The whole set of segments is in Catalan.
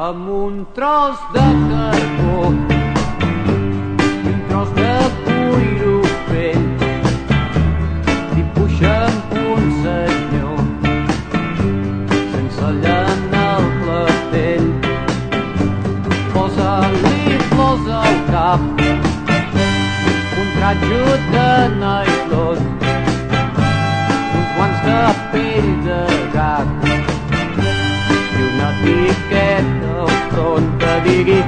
amb un tros de carbó i un tros de cuiro fent. Dibuixa'm un senyor sense llana al clatell. Posa-li flors al cap, un tratge de nylon, uns guants de pell de gat i una etiqueta al front que digui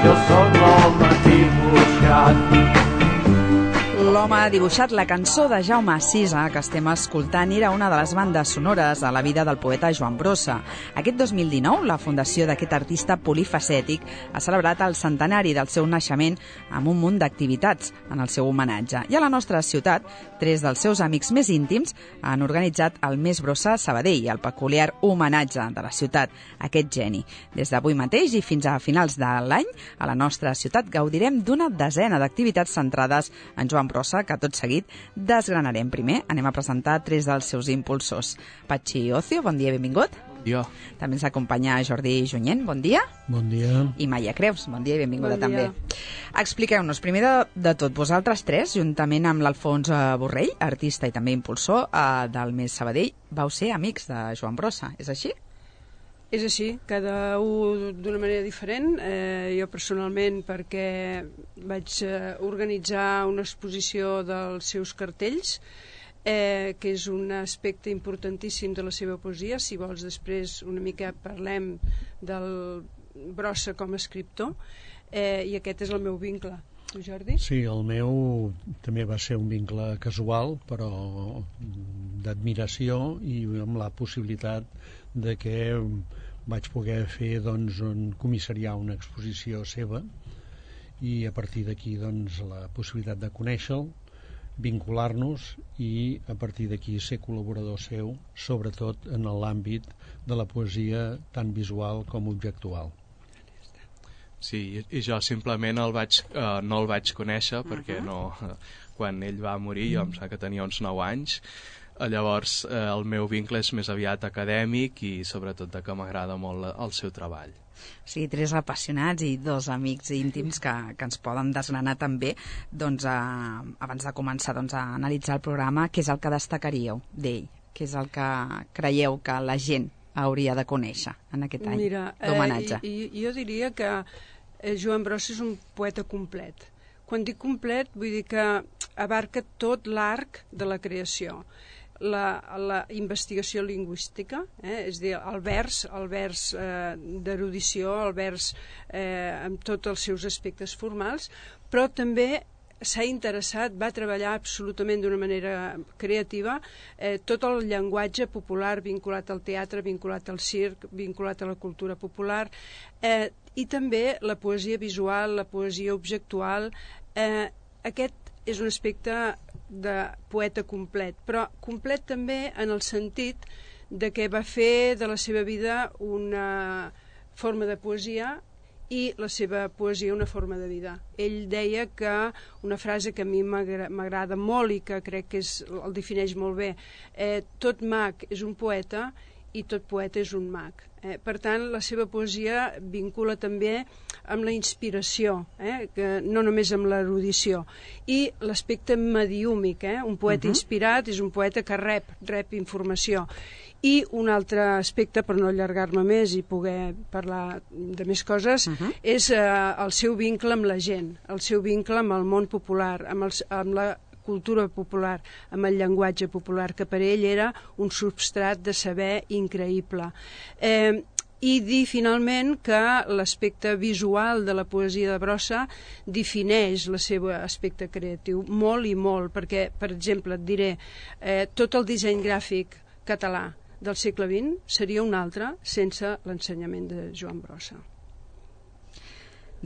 jo sóc l'home dibuixat. L'home dibuixat, la cançó de Jaume Sisa que estem escoltant, era una de les bandes sonores a la vida del poeta Joan Brossa. Aquest 2019, la fundació d'aquest artista polifacètic ha celebrat el centenari del seu naixement amb un munt d'activitats en el seu homenatge. I a la nostra ciutat, 3 dels seus amics més íntims han organitzat el Més Brossa Sabadell, el peculiar homenatge de la ciutat a aquest geni. Des d'avui mateix i fins a finals de l'any, a la nostra ciutat gaudirem d'una desena d'activitats centrades en Joan Brossa, que tot seguit desgranarem. Primer anem a presentar 3 dels seus impulsors. Patxi Ocio, bon dia i benvingut. Bon dia. També ens acompanya Jordi Junyent, bon dia. Bon dia. I Maia Creus, bon dia i benvinguda bon dia. també. Expliqueu-nos, primer de tot, vosaltres 3, juntament amb l'Alfons Borrell, artista i també impulsor del Més Sabadell, vau ser amics de Joan Brossa, és així? És així, cada un d'una manera diferent. Jo personalment perquè vaig organitzar una exposició dels seus cartells, que és un aspecte importantíssim de la seva poesia. Si vols després una mica parlem del Brossa com a escriptor, i aquest és el meu vincle. Tu, Jordi? Sí, el meu també va ser un vincle casual, però d'admiració, i amb la possibilitat de que vaig poder fer, doncs, comissariar una exposició seva, i a partir d'aquí, doncs, la possibilitat de conèixer-lo, vincular-nos i a partir d'aquí ser col·laborador seu, sobretot en l'àmbit de la poesia tant visual com objectual. Sí, i jo simplement no el vaig conèixer perquè quan ell va morir jo em sembla que tenia uns 9 anys. Llavors el meu vincle és més aviat acadèmic i sobretot que m'agrada molt el seu treball. Sí, 3 apassionats i 2 amics íntims que ens poden desgranar també. Doncs abans de començar a analitzar el programa, què és el que destacaríeu d'ell? Què és el que creieu que la gent hauria de conèixer en aquest any d'homenatge? Jo diria que Joan Brossa és un poeta complet. Quan dic complet vull dir que abarca tot l'arc de la creació. La investigació lingüística, és a dir, el vers d'erudició, el vers amb tots els seus aspectes formals, però també s'ha interessat, va treballar absolutament d'una manera creativa tot el llenguatge popular vinculat al teatre, vinculat al circ, vinculat a la cultura popular, i també la poesia visual, la poesia objectual. Aquest és un aspecte de poeta complet, però complet també en el sentit de que va fer de la seva vida una forma de poesia i la seva poesia una forma de vida. Ell deia que una frase que a mi m'agrada molt i que crec que el defineix molt bé, tot mag és un poeta i tot poeta és un mag. Per tant, la seva poesia vincula també amb la inspiració, que no només amb l'erudició, i l'aspecte mediúmic. Un poeta inspirat és un poeta que rep informació. I un altre aspecte, per no allargar-me més i poder parlar de més coses, és el seu vincle amb la gent, el seu vincle amb el món popular, amb la cultura popular, amb el llenguatge popular, que per ell era un substrat de saber increïble. I dir finalment que l'aspecte visual de la poesia de Brossa defineix el seu aspecte creatiu molt i molt, perquè, per exemple, et diré, tot el disseny gràfic català del segle XX seria un altre sense l'ensenyament de Joan Brossa.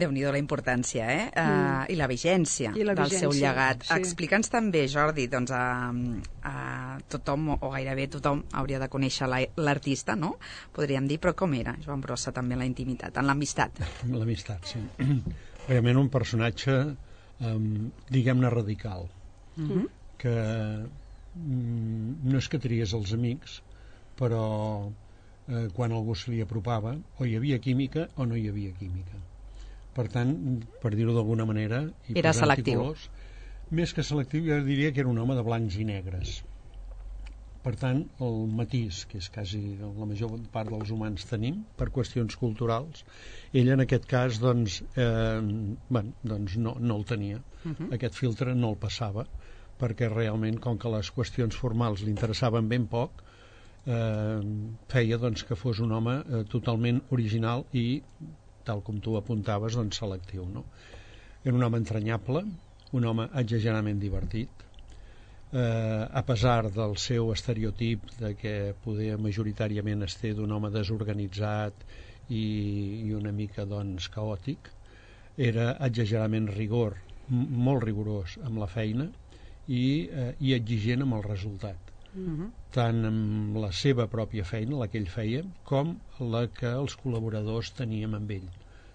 Déu-n'hi-do la importància, i la vigència del seu llegat. Sí. Explica'ns també, Jordi, doncs tothom, o gairebé tothom, hauria de conèixer l'artista, no? Podríem dir, però com era Joan Brossa també en la intimitat, en l'amistat? L'amistat, sí. Realment un personatge, diguem-ne, radical, que no és que triés els amics, però quan algú se li apropava, o hi havia química o no hi havia química. Per tant, per dir-ho d'alguna manera, era selectiu. Colors, més que selectiu, jo diria que era un home de blancs i negres. Per tant, el matís, que és quasi la major part dels humans tenim, per qüestions culturals, ell en aquest cas doncs, doncs no el tenia. Aquest filtre no el passava, perquè realment, com que les qüestions formals li interessaven ben poc, feia doncs, que fos un home totalment original i, tal com tu apuntaves, doncs, selectiu. No? Era un home entranyable, un home exageradament divertit, a pesar del seu estereotip de que poder majoritàriament es té d'un home desorganitzat i una mica doncs, caòtic, era exageradament rigor, molt rigorós amb la feina i exigent amb el resultat. Tant amb la seva pròpia feina, la que ell feia, com la que els col·laboradors teníem amb ell.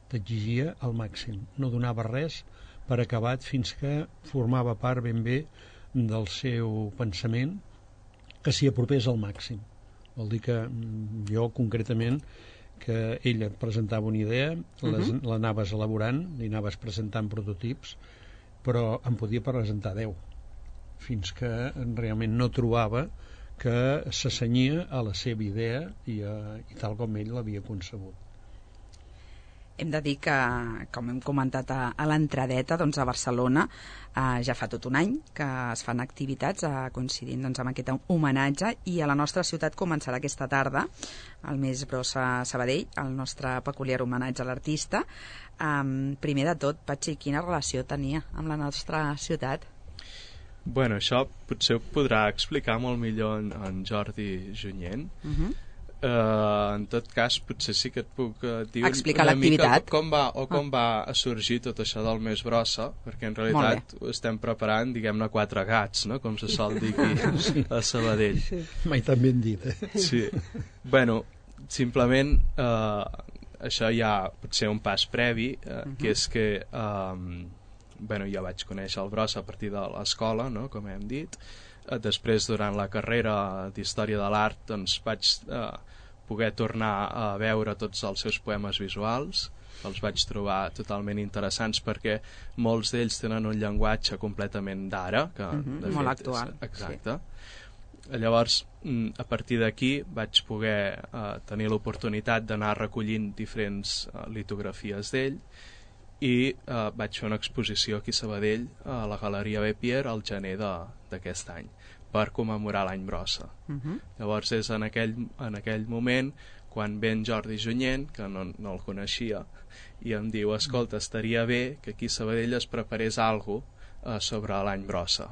T'exigia al màxim, no donava res per acabat fins que formava part ben bé del seu pensament, que s'hi apropés al màxim. Vol dir que jo concretament, que ell et presentava una idea, l'anaves elaborant, li anaves presentant prototips, però em podia presentar 10, fins que realment no trobava que s'assenyia a la seva idea i tal com ell l'havia concebut. Hem de dir que, com hem comentat a l'entradeta, doncs a Barcelona ja fa tot un any que es fan activitats coincidint doncs, amb aquest homenatge, i a la nostra ciutat començarà aquesta tarda el Mes Brossa Sabadell, el nostre peculiar homenatge a l'artista. Primer de tot, Patxi, quina relació tenia amb la nostra ciutat? Bueno, això potser ho podrà explicar molt millor en Jordi Junyent. En tot cas, potser sí que et puc dir explicar una mica com va sorgir tot això del Mes Brossa, perquè en realitat ho estem preparant, diguem-ne, 4 gats, no? Com se sol dir aquí a Sabadell. Mai tan ben dit, Sí. Bueno, simplement això ja pot ser un pas previ, que és que jo vaig conèixer el Brossa a partir de l'escola, no? Com hem dit. Després, durant la carrera d'Història de l'Art, doncs vaig poder tornar a veure tots els seus poemes visuals. Els vaig trobar totalment interessants perquè molts d'ells tenen un llenguatge completament d'ara, que molt actual. Exacte. Sí. Llavors, a partir d'aquí vaig poder tenir l'oportunitat d'anar recollint diferents litografies d'ell, i vaig fer una exposició aquí a Sabadell a la Galeria Bepier al gener d'aquest any per commemorar l'any Brossa. Llavors és en aquell moment quan ve en Jordi Junyent, que no el coneixia, i em diu, escolta, estaria bé que aquí a Sabadell es preparés alguna cosa sobre l'any Brossa,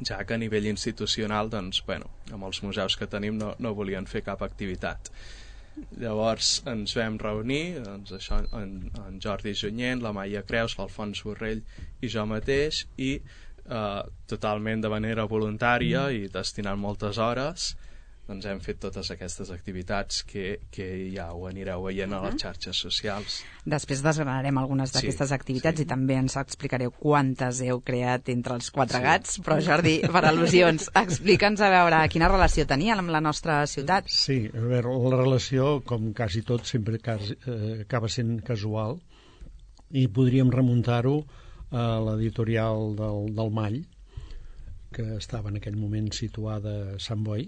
ja que a nivell institucional, doncs, amb els museus que tenim no volien fer cap activitat. Llavors ens vam reunir, doncs això, en Jordi Junyent, la Maia Creus, l'Alfons Borrell i jo mateix, i totalment de manera voluntària i destinant moltes hores, doncs hem fet totes aquestes activitats que ja ho anireu veient a les xarxes socials. Després desgranarem algunes d'aquestes activitats, i també ens explicareu quantes heu creat entre els 4 gats, però Jordi, per al·lusions, explica'ns a veure quina relació tenia amb la nostra ciutat. Sí, a veure, la relació, com quasi tot, sempre acaba sent casual, i podríem remuntar-ho a l'editorial del Mall, que estava en aquell moment situada a Sant Boi,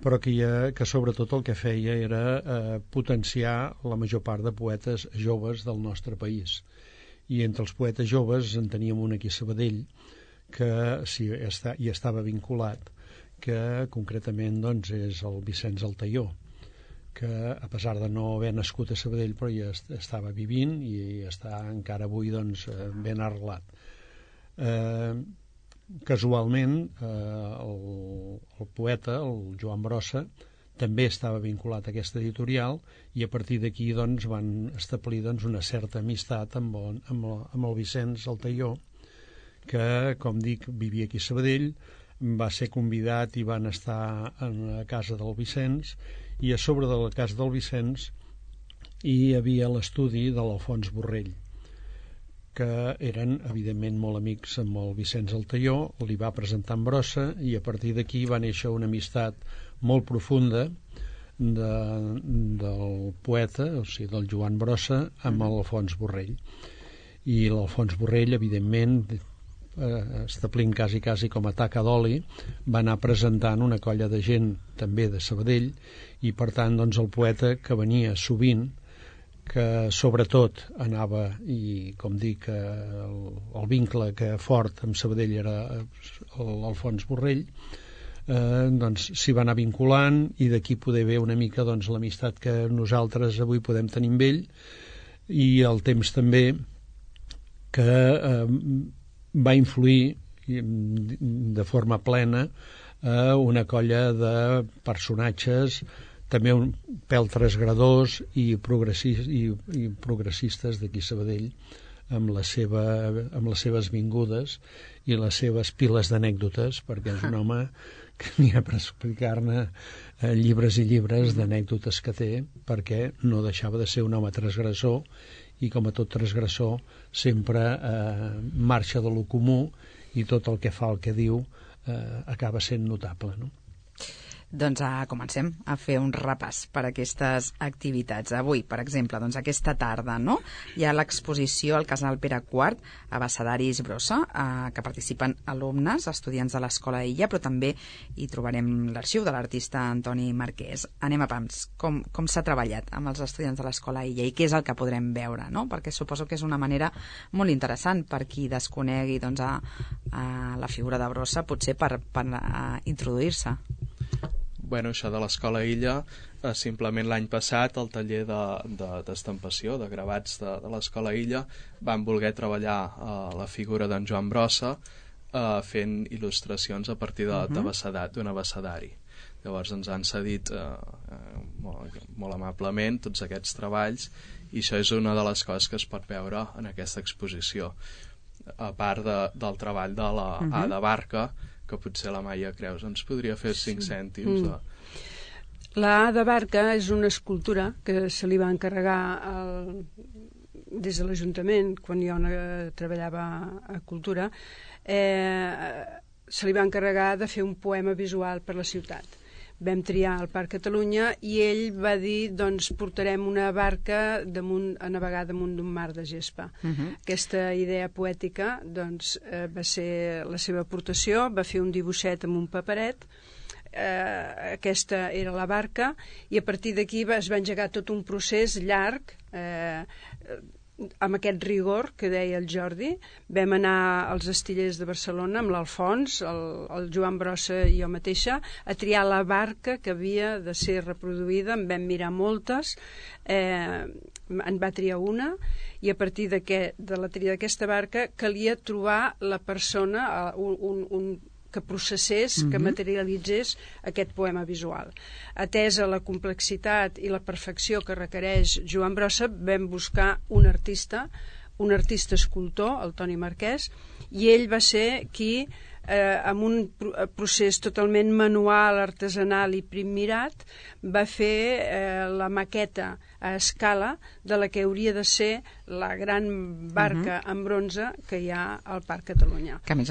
però que sobretot el que feia era potenciar la major part de poetes joves del nostre país. I entre els poetes joves en teníem un aquí a Sabadell que hi estava vinculat, que concretament doncs, és el Vicenç Altaió, que a pesar de no haver nascut a Sabadell però ja estava vivint i està encara avui doncs, ben arrelat. Casualment el poeta, el Joan Brossa, també estava vinculat a aquesta editorial, i a partir d'aquí doncs, van establir doncs, una certa amistat amb el Vicenç Altaió, que, com dic, vivia aquí a Sabadell, va ser convidat i van estar a la casa del Vicenç, i a sobre de la casa del Vicenç hi havia l'estudi de l'Alfons Borrell, que eren, evidentment, molt amics amb el Vicenç Altaió, li va presentar en Brossa, i a partir d'aquí va néixer una amistat molt profunda, del poeta, o sigui, del Joan Brossa, amb l'Alfons Borrell. I l'Alfons Borrell, evidentment, establint quasi com a taca d'oli, va anar presentant una colla de gent també de Sabadell, i per tant doncs, el poeta, que venia sovint, que sobretot anava, i com dic, el vincle que fort amb Sabadell era l'Alfons Borrell, doncs s'hi va anar vinculant, i d'aquí poder haver una mica doncs, l'amistat que nosaltres avui podem tenir amb ell, i el temps també que va influir de forma plena una colla de personatges també un pèl transgradors i progressistes d'aquí Sabadell, amb les seves vingudes i les seves piles d'anècdotes, perquè és un home que n'hi ha per explicar-ne llibres i llibres d'anècdotes que té, perquè no deixava de ser un home transgressor, i com a tot transgressor sempre marxa de lo comú, i tot el que fa, el que diu, acaba sent notable, no? Doncs comencem a fer un repàs per aquestes activitats. Avui, per exemple, doncs aquesta tarda, no? Hi ha l'exposició al Casal Pere IV, Abecedaris Brossa, que participen alumnes, estudiants de l'Escola Illa, però també hi trobarem l'arxiu de l'artista Antoni Marquès. Anem a pams. Com s'ha treballat amb els estudiants de l'Escola Illa i què és el que podrem veure, no? Perquè suposo que és una manera molt interessant per qui desconegui doncs, a la figura de Brossa, potser per introduir-se. Bueno, això de l'Escola Illa, simplement l'any passat el taller d'estampació, de gravats de l'Escola Illa, van voler treballar la figura d'en Joan Brossa fent il·lustracions a partir d'un abecedari. Llavors ens han cedit molt amablement tots aquests treballs, i això és una de les coses que es pot veure en aquesta exposició, a part del treball de la Ada Barca, que potser la Maia Creus ens podria fer 5 cèntims. La Ada Barca és una escultura que se li va encarregar des de l'Ajuntament, quan jo treballava a Cultura, se li va encarregar de fer un poema visual per la ciutat. Vam triar el Parc Catalunya i ell va dir, doncs portarem una barca a navegar damunt d'un mar de gespa. Aquesta idea poètica doncs, va ser la seva aportació, va fer un dibuixet amb un paperet, aquesta era la barca, i a partir d'aquí es va engegar tot un procés llarg, amb aquest rigor que deia el Jordi. Vam anar als Astillers de Barcelona amb l'Alfons, el Joan Brossa i jo mateixa, a triar la barca que havia de ser reproduïda. En vam mirar moltes, en va triar una, i a partir de la tria d'aquesta barca calia trobar la persona, que processés, que materialitzés aquest poema visual. Atesa la complexitat i la perfecció que requereix Joan Brossa, vam buscar un artista escultor, el Toni Marquès, i ell va ser qui, amb un procés totalment manual, artesanal i primmirat, va fer la maqueta a escala de la que hauria de ser la gran barca en bronze que hi ha al Parc Catalunya. Que a més,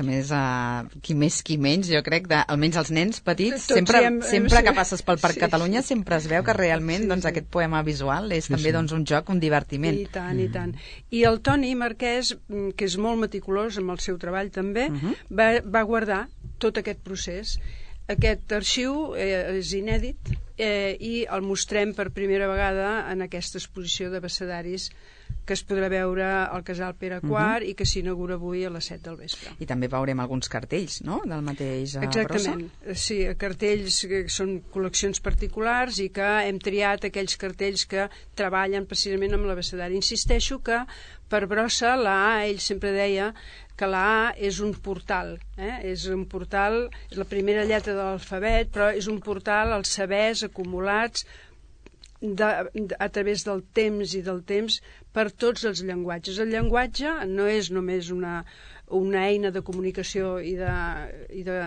qui més qui menys, jo crec, almenys els nens petits, sempre que passes pel Parc Catalunya sempre es veu que realment doncs, aquest poema visual és també doncs, un joc, un divertiment. I tant, i tant. I el Toni Marquès, que és molt meticulós amb el seu treball també, va guardar tot aquest procés. Aquest arxiu és inèdit i el mostrem per primera vegada en aquesta exposició d'abecedaris que es podrà veure al Casal Pere IV i que s'inaugura avui a les 7 del vespre. I també veurem alguns cartells, no?, del mateix Brossa. Exactament, sí, cartells que són col·leccions particulars i que hem triat aquells cartells que treballen precisament amb l'abecedari. Insisteixo que per Brossa la A, ell sempre deia que la A és un portal, és un portal, és la primera lletra de l'alfabet, però és un portal als sabers acumulats a través del temps i del temps per tots els llenguatges. El llenguatge no és només una eina de comunicació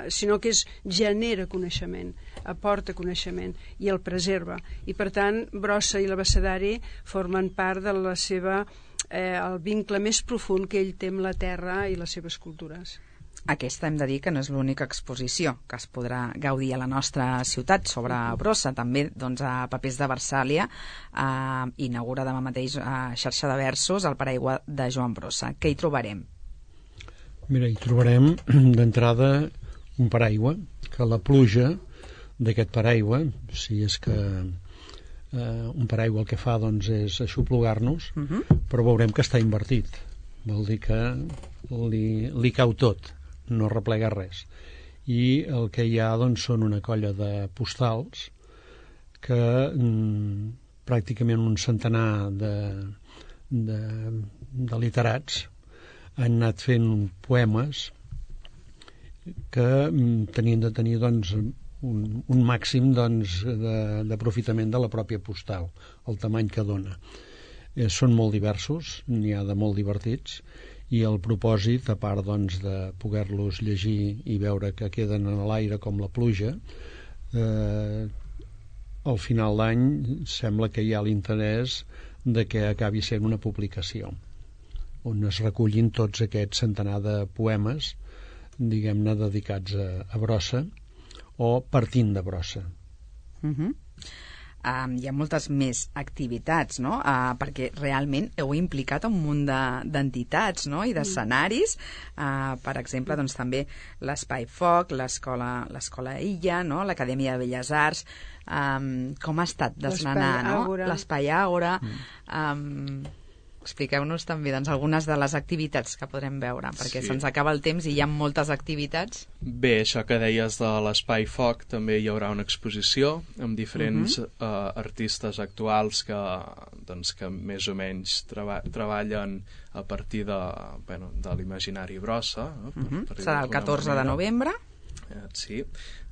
sinó que genera coneixement, aporta coneixement i el preserva. I per tant, Brossa i l'abecedari formen part de el vincle més profund que ell té amb la terra i les seves cultures. Aquesta hem de dir que no és l'única exposició que es podrà gaudir a la nostra ciutat sobre brossa. També doncs, a Papers de Versàlia inaugura demà mateix a Xarxa de Versos el paraigua de Joan Brossa. Què hi trobarem? Mira, hi trobarem d'entrada un paraigua, que la pluja d'aquest paraigua, si és que un paraigua el que fa doncs, és aixoplugar-nos, però veurem que està invertit. Vol dir que li cau tot, no replega res. I el que hi ha doncs, són una colla de postals que pràcticament un centenar de literats han anat fent poemes que tenien de tenir doncs, un màxim doncs, d'aprofitament de la pròpia postal, el tamany que dona. Són molt diversos, n'hi ha de molt divertits, i el propòsit, a part doncs, de poder-los llegir i veure que queden a l'aire com la pluja, al final d'any sembla que hi ha l'interès de que acabi sent una publicació on es recullin tots aquests centenar de poemes, diguem-ne, dedicats a brossa o partint de brossa. Hi ha moltes més activitats, no? Perquè realment heu implicat un munt d'entitats, no? I d'escenaris. Per exemple, doncs, també l'Espai Foc, l'Escola Illa, no? l'Acadèmia de Belles Arts. Com ha estat desgranar, no? L'Espai Àgora. Expliqueu-nos també doncs, algunes de les activitats que podrem veure, perquè se'ns acaba el temps i hi ha moltes activitats. Bé, això que deies de l'Espai Foc, també hi haurà una exposició amb diferents artistes actuals que més o menys treballen a partir de l'imaginari brossa. Serà el 14 de novembre. Sí.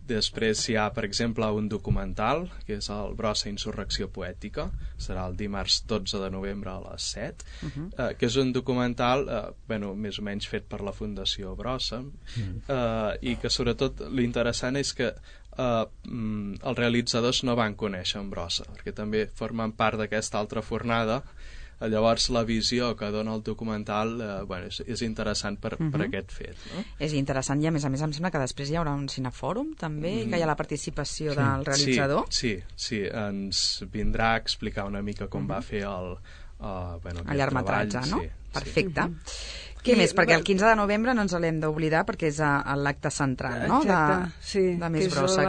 Després hi ha, per exemple, un documental, que és el Brossa Insurrecció Poètica, serà el dimarts 12 de novembre a les 7, que és un documental, més o menys fet per la Fundació Brossa, i que sobretot l'interessant és que els realitzadors no van conèixer en Brossa, perquè també formen part d'aquesta altra fornada. Llavors la visió que dona el documental és interessant per aquest fet, no? És interessant i a més em sembla que després hi haurà un cinefòrum també, que hi ha la participació del realitzador. Sí, ens vindrà a explicar una mica com va fer el llargmetratge, no? Perfecte. Què I, més? Perquè el 15 de novembre no ens l'hem d'oblidar perquè és l'acte central, no? Exacte, de Més Brossa.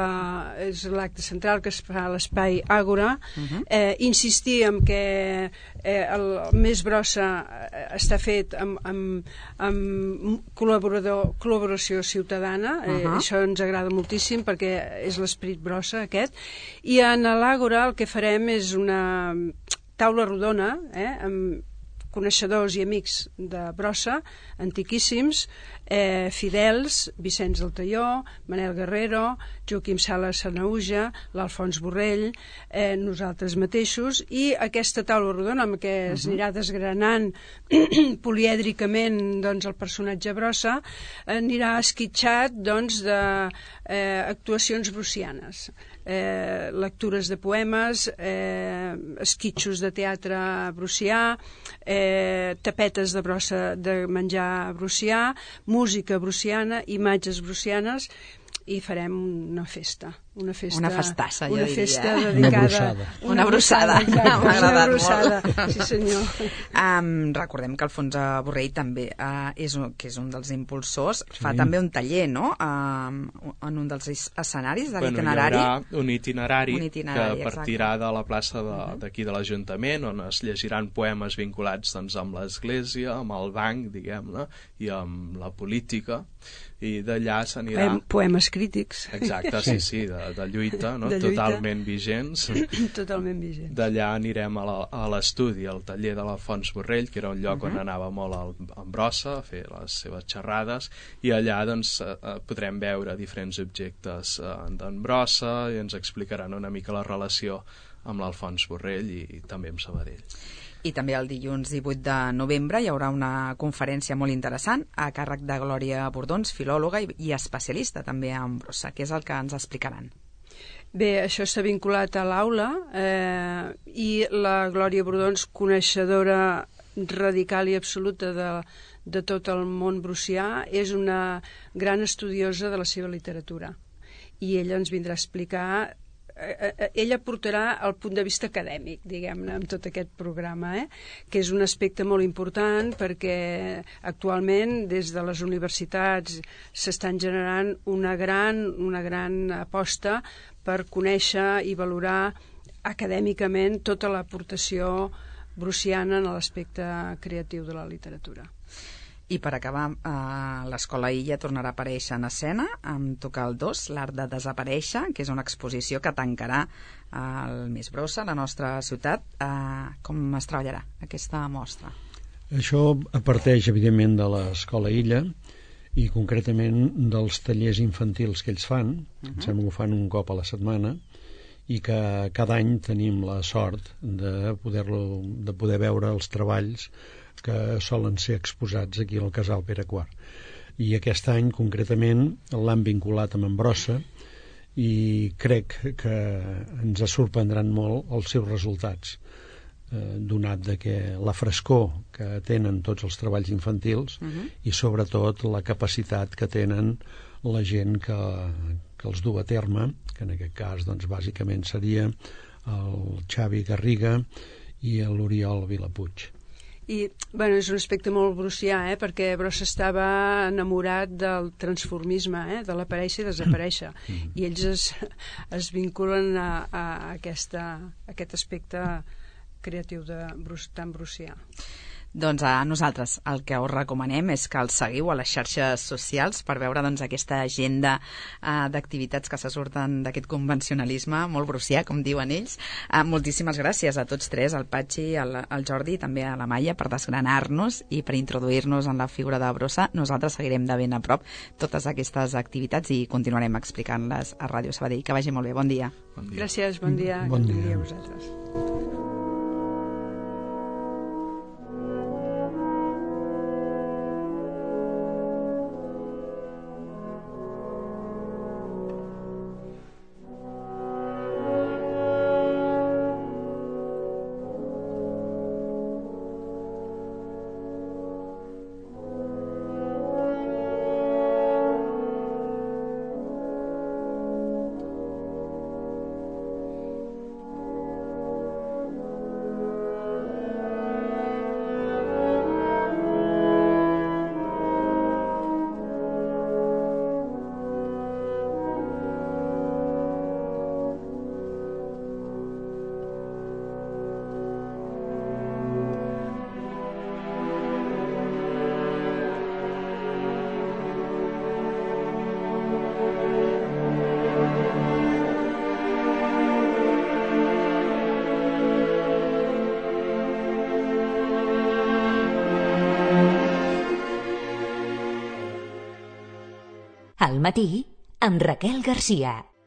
És l'acte central que es fa a l'Espai Àgora. Insistir en que el Més Brossa està fet amb col·laboració ciutadana. Això ens agrada moltíssim perquè és l'esperit brossa aquest. I en l'Àgora el que farem és una taula rodona amb coneixedors i amics de brossa, antiquíssims, fidels, Vicenç del Talló, Manel Guerrero, Joaquim Sala Sanauja, l'Alfons Borrell, nosaltres mateixos, i aquesta taula rodona amb què es anirà desgranant polièdricament doncs, el personatge brossa, anirà esquitxat doncs, d'actuacions brossianes. Lectures de poemes, esquitxos de teatre brossià, tapetes de brossa de menjar brossià, música brossiana, imatges brossianes, i farem una festa. Una festassa, jo diria. Festa dedicada... Una brossada. M'ha agradat molt. Sí, senyor. Recordem que Alfons Borrell també és un dels impulsors. Fa també un taller, no?, en un dels escenaris de l'itinerari. Hi haurà un itinerari que partirà de la plaça d'aquí de l'Ajuntament, on es llegiran poemes vinculats doncs, amb l'Església, amb el banc, diguem-ne, i amb la política, i d'allà s'anirà... Poemes crítics. Exacte, sí, de lluita, no? De lluita. Totalment vigents. Totalment vigents. D'allà anirem a l'estudi, al taller de l'Alfons Borrell, que era un lloc on anava molt en brossa a fer les seves xerrades, i allà doncs, podrem veure diferents objectes d'en brossa i ens explicaran una mica la relació amb l'Alfons Borrell i també amb Sabadell. I també el dilluns 18 de novembre hi haurà una conferència molt interessant a càrrec de Glòria Bordons, filòloga i especialista també en brossa, que és el que ens explicaran. Bé, això està vinculat a l'aula i la Glòria Bordons, coneixedora radical i absoluta de tot el món brucià, és una gran estudiosa de la seva literatura. I ella ens vindrà a explicar, ella portarà el punt de vista acadèmic, diguem-ne, amb tot aquest programa, que és un aspecte molt important perquè actualment des de les universitats s'estan generant una gran aposta per conèixer i valorar acadèmicament tota l'aportació bruciana en l'aspecte creatiu de la literatura. I per acabar, l'Escola Illa tornarà a aparèixer en escena amb Tocar el 2, l'art de desaparèixer, que és una exposició que tancarà el mes Brossa, la nostra ciutat. Com es treballarà aquesta mostra? Això parteix, evidentment, de l'Escola Illa i concretament dels tallers infantils que ells fan. Em sembla que ho fan un cop a la setmana i que cada any tenim la sort de poder veure els treballs que solen ser exposats aquí al Casal Pere IV. I aquest any, concretament, l'han vinculat amb en Brossa i crec que ens sorprendran molt els seus resultats, donat de que la frescor que tenen tots els treballs infantils i sobretot la capacitat que tenen la gent que els du a terme, que en aquest cas doncs, bàsicament seria el Xavi Garriga i l'Oriol Vilapuig. I és un aspecte molt brucià, perquè Brossa estava enamorat del transformisme, de l'aparèixer i desaparèixer, i ells es vinculen a aquest aspecte creatiu tan brucià. Doncs a nosaltres el que us recomanem és que els seguiu a les xarxes socials per veure aquesta agenda d'activitats que se surten d'aquest convencionalisme molt brucià, com diuen ells. Moltíssimes gràcies a tots tres, al Patxi, al Jordi i també a la Maia, per desgranar-nos i per introduir-nos en la figura de Brossa. Nosaltres seguirem de ben a prop totes aquestes activitats i continuarem explicant-les a Ràdio Sabadell. Que vagi molt bé. Bon dia. Gràcies, bon dia. Bon dia a vosaltres. Al matí, amb Raquel Garcia.